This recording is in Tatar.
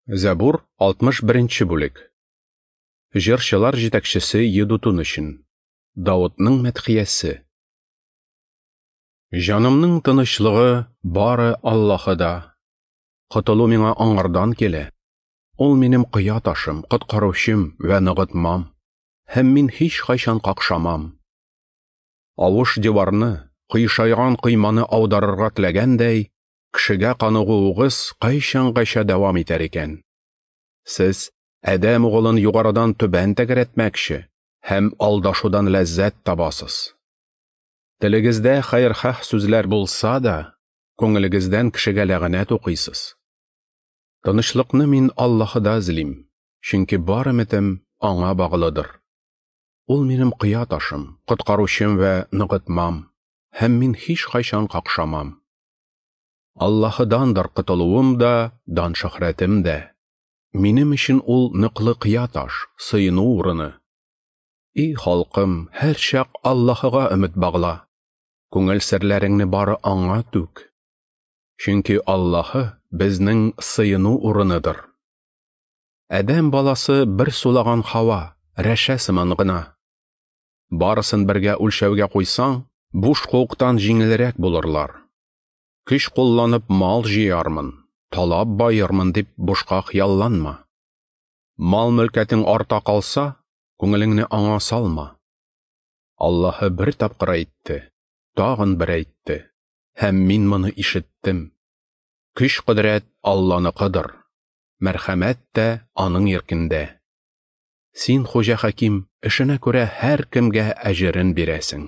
Зәбур, 61 бүлек. Җырчылар җитәкчесе Едутун өчен. Давытның мәдхиясе. Җанымның тынычлыгы бары Аллаһыда. Котылу миңа аңардан килә. Ул минем кыя ташым, коткаручым вә ныгытмам, һәм мин һич кайчан какшамам. Авыш диварны, кыйшайган койманы аударырга теләгәндәй, кешегә каныгуыгыз кайчангача дәвам итәр икән? Сез адәм угылын югарыдан түбән тәгәрәтмәкче һәм алдашудан ләззәт табасыз. Телегездә хәерхаһ сүзләр булса да, күңелегездән кешегә ләгънәт укыйсыз. Тынычлыкны мин Аллаһыда эзлим, чөнки бар өметем аңа баглыдыр. Ул минем кыя ташым, коткаручым вә ныгытмам, һәм мин һич кайчан какшамам. Аллаһыдандыр котылуым да, дан-шөһрәтем дә. Минем өчен ул ныклы кыя таш, сыену урыны. И халкым, һәрчак Аллаһыга өмет багла. Күңел серләреңне бары аңа түк. Чөнки Аллаһы безнең сыену урыныдыр. Адәм баласы бер сулаган һава, рәшә сыман гына. Барысын бергә үлчәүгә куйсаң, буш куыктан җиңелрәк булырлар. Көч кулланып мал җыярмын, талап баермын дип бушка хыялланма. Мал мөлкәтең арта калса, күңелеңне аңа салма. Аллаһы бер тапкыр әйтте, тагын бер әйтте, һәм мин моны ишеттем. Көч-кодрәт Алланыкыдыр, мәрхәмәт тә аның иркендә. Син, Хуҗа Хаким, эшенә күрә һәркемгә әҗерен бирәсең.